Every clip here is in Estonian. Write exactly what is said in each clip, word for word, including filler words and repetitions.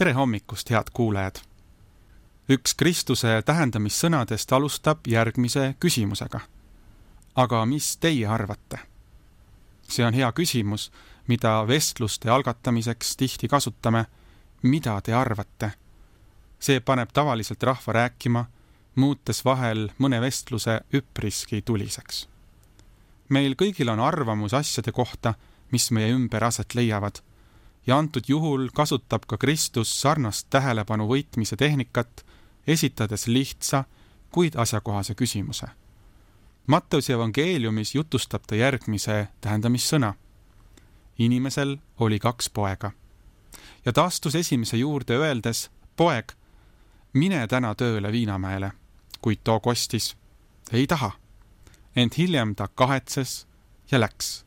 Tere hommikust, head kuulajad! Üks Kristuse tähendamissõnadest alustab järgmise küsimusega. Aga mis teie arvate? See on hea küsimus, mida vestluste algatamiseks tihti kasutame. Mida te arvate? See paneb tavaliselt rahva rääkima, muutes vahel mõne vestluse üpriski tuliseks. Meil kõigil on arvamus asjade kohta, mis meie ümber aset leiavad, ja antud juhul kasutab ka Kristus sarnast tähelepanu võitmise tehnikat, esitades lihtsa, kuid asjakohase küsimuse. Matteuse evangeeliumis jutustab ta järgmise tähendamissõna. Inimesel oli kaks poega. Ja ta astus esimese juurde öeldes, poeg, mine täna tööle Viinamäele, kuid too kostis, ei taha. Ent hiljem ta kahetses ja läks.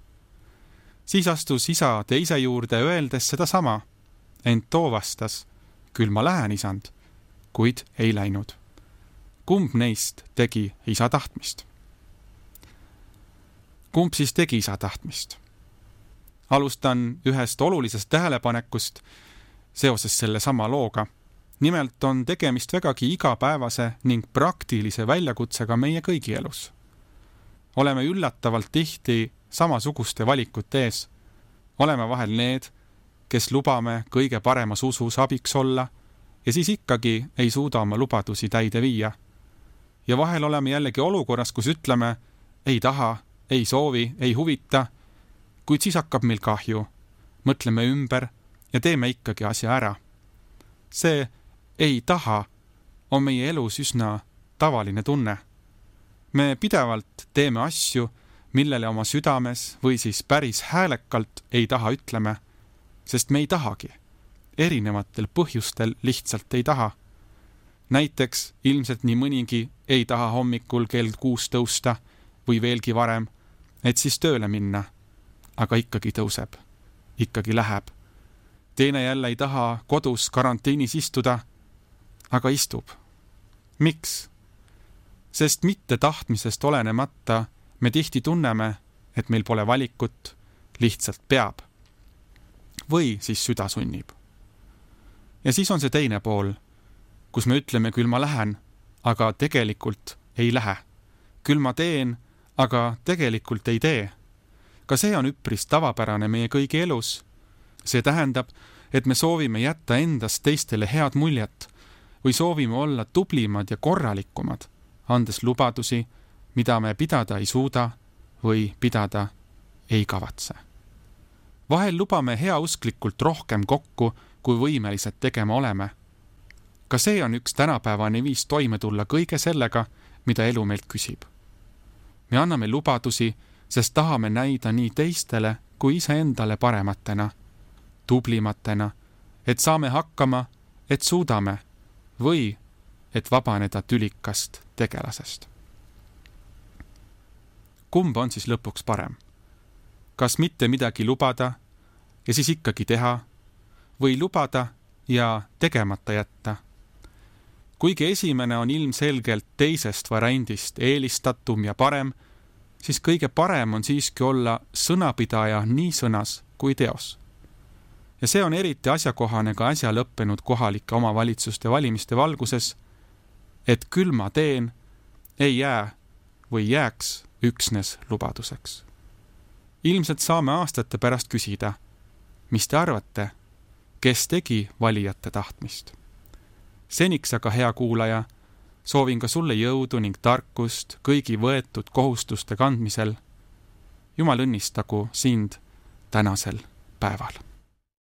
Siis astus isa teise juurde öeldes seda sama, ent too vastas, küll ma lähen, isand, kuid ei läinud. Kumb neist tegi isa tahtmist? Kumb siis tegi isa tahtmist? Alustan ühest olulisest tähelepanekust seoses selle sama looga. Nimelt on tegemist vägagi igapäevase ning praktilise väljakutsega meie kõigi elus. Oleme üllatavalt tihti samasuguste valikute ees. Oleme vahel need, kes lubame kõige paremas usus abiks olla ja siis ikkagi ei suuda oma lubadusi täide viia. Ja vahel oleme jällegi olukorras, kus ütleme, ei taha, ei soovi, ei huvita, kuid siis hakkab meil kahju. Mõtleme ümber ja teeme ikkagi asja ära. See ei taha on meie elus üsna tavaline tunne. Me pidevalt teeme asju, millele oma südames või siis päris häälekalt ei taha ütleme, sest me ei tahagi. Erinevatel põhjustel lihtsalt ei taha. Näiteks ilmselt nii mõnigi ei taha hommikul kell kuus tõusta või veelgi varem, et siis tööle minna, aga ikkagi tõuseb, ikkagi läheb. Teine jälle ei taha kodus karantiinis istuda, aga istub. Miks? Sest mitte tahtmisest olenemata me tihti tunneme, et meil pole valikut, lihtsalt peab. Või siis süda sunnib. Ja siis on see teine pool, kus me ütleme, küll ma lähen, aga tegelikult ei lähe. Küll ma teen, aga tegelikult ei tee. Ka see on üpris tavapärane meie kõigi elus. See tähendab, et me soovime jätta endast teistele head muljet või soovime olla tublimad ja korralikumad, andes lubadusi, mida me pidada ei suuda või pidada ei kavatse. Vahel lubame heausklikult rohkem kokku, kui võimelised tegema oleme. Ka see on üks tänapäevane viis toime tulla kõige sellega, mida elu meilt küsib. Me anname lubadusi, sest tahame näida nii teistele kui iseendale parematena, tublimatena, et saame hakkama, et suudame või et vabaneda tülikast tegelasest. Kumb on siis lõpuks parem? Kas mitte midagi lubada ja siis ikkagi teha või lubada ja tegemata jätta? Kuigi esimene on ilmselgelt teisest variandist eelistatum ja parem, siis kõige parem on siiski olla sõnapidaja nii sõnas kui teos. Ja see on eriti asjakohane ka äsja lõppenud kohalike omavalitsuste valimiste valguses, et küll ma teen, ei jää või jääks üksnes lubaduseks. Ilmselt saame aastate pärast küsida, mis te arvate, kes tegi valijate tahtmist? Seniks aga, hea kuulaja, soovin ka sulle jõudu ning tarkust kõigi võetud kohustuste kandmisel. Jumal õnnistagu sind tänasel päeval.